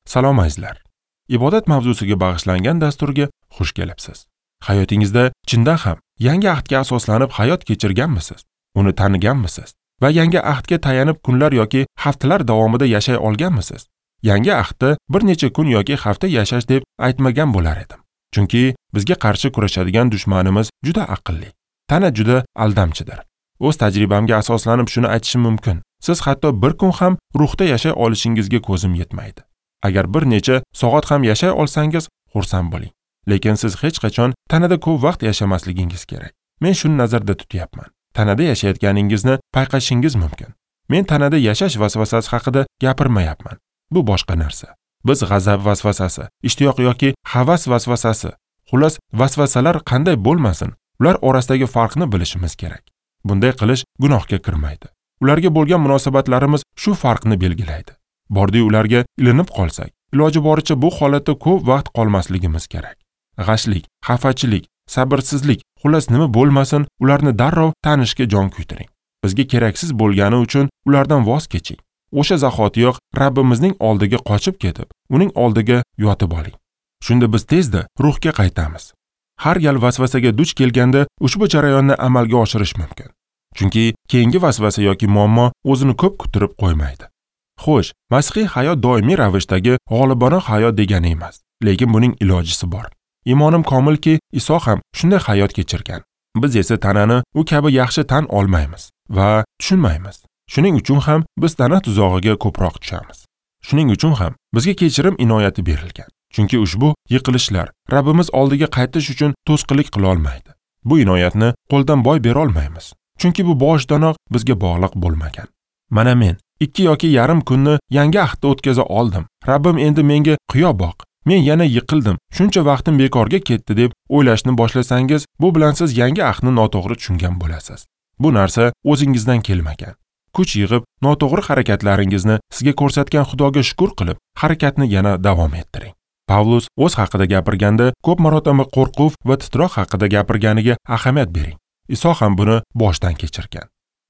Salom azizlar. Ibodat mavzusiga bag'ishlangan dasturga xush kelibsiz. Hayotingizda chindan ham yangi ahdga asoslanib hayot kechirganmisiz? Uni taniganmisiz? Va yangi ahdga tayanib kunlar yoki haftalar davomida yashay olganmisiz? Yangi ahdda bir necha kun yoki hafta yashash deb aytmagan bo'lar edim. Chunki bizga qarshi kurashadigan dushmanimiz juda aqlli. Tana juda aldamchidir. O'z tajribamga asoslanib shuni aytishim mumkin. Siz hatto bir kun ham ruhda yashay olishingizga ko'zim yetmaydi. Agar bir necha soat ham yashay olsangiz, xursand bo'ling. Lekin siz hech qachon tanada ko'p vaqt yashamasligingiz kerak. Men shuni nazarda tutyapman. Tanada yashayotganingizni payqashingiz mumkin. Men tanada yashash vasvasasi haqida gapirmayapman. Bu boshqa narsa. Biz g'azab vasvasasi, ishtiyoq yoki havas vasvasasi, xullas vasvasalar qanday bo'lmasin, ular orasidagi farqni bilishimiz kerak. Bunday qilish gunohga kirmaydi. Ularga bo'lgan munosabatlarimiz shu farqni belgilaydi. Bordi ularga ilinib qolsak, iloji boricha bu holatda ko'p vaqt qolmasligimiz kerak. G'ashlik, xafachilik, sabrsizlik, xullas nima bo'lmasin, ularni darrov tanishga jon kuydiring. Bizga keraksiz bo'lgani uchun ulardan voz keching. O'sha zahotiyoq Rabbimizning oldiga qochib ketib, uning oldiga yotib oling. Shunda biz tezda ruhga qaytamiz. Har gal vasvasaga duch kelganda ushbu jarayonni amalga oshirish mumkin. Chunki keyingi vasvasa yoki muammo o'zini ko'p kuttirib qo'ymaydi. Xo'sh, masihiy hayot doimiy ravishdagi g'olibona hayot degani emas, lekin buning ilojisi bor. Imonim komilki, Iso ham shunday hayot kechirgan. Biz esa tanani u kabi yaxshi tan olmaymiz va tushunmaymiz. Shuning uchun ham biz tana tuzog'iga ko'proq tushamiz. Shuning uchun ham bizga kechirim inoyati berilgan. Chunki ushbu yiqilishlar Rabbimiz oldiga qaytish uchun to'sqinlik qila olmaydi. Bu inoyatni qo'ldan boy bera olmaymiz. Chunki bu boshidanoq bizga bog'liq bo'lmagan. Mana men 2 yoki yarim kunni yangi ahdda o'tkaza oldim. Rabbim endi menga qiyo boq. Men yana yiqildim. Shuncha vaqtim bekorga ketdi deb o'ylashni boshlasangiz, bu bilan siz yangi ahdni noto'g'ri tushungan bo'lasiz. Bu narsa o'zingizdan kelmagan. Kuch yig'ib, noto'g'ri harakatlaringizni sizga ko'rsatgan Xudoga shukr qilib, harakatni yana davom ettiring. Pavlus o'z haqida gapirganda ko'p marotaba qo'rquv va titroq haqida gapirganiga ahamiyat bering. Iso ham buni boshdan kechirgan.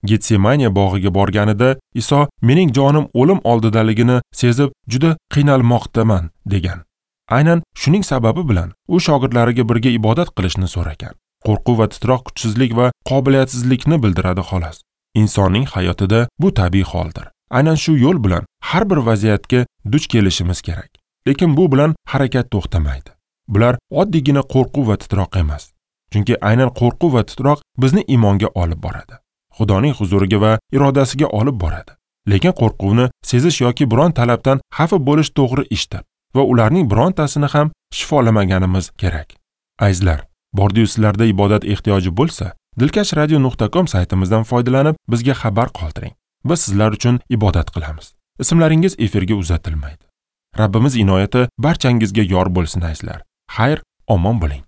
Getsemaniya bog'iga borganida Iso mening jonim o'lim oldidaligini sezib juda qiynalmoqdaman degan. Aynan shuning sababi bilan u shogirdlariga birga ibodat qilishni so'ragan. Qo'rquv va titroq kuchsizlik va qobiliyatsizlikni bildiradi xolos. Insonning hayotida bu tabiiy holdir. Aynan shu yo'l bilan har bir vaziyatga duch kelishimiz kerak. Lekin bu bilan harakat to'xtamaydi. Bular oddiygina qo'rquv va titroq emas. Chunki aynan qo'rquv va titroq bizni iymonga olib boradi. Xudoning huzuriga va irodasiga olib boradi. Lekin qo'rquvni sezish yoki biron talabdan xafa bo'lish to'g'ri ishdir va ularning birontasini ham shifolamaganimiz kerak. Azizlar, bordiyu sizlarda ibodat ehtiyoji bo'lsa, dilkashradio.com saytimizdan foydalanib bizga xabar qoldiring. Biz sizlar uchun ibodat qilamiz. Ismlaringiz efirga uzatilmaydi. Rabbimiz inoyati barchangizga yor bo'lsin azizlar. Xayr, omon bo'ling.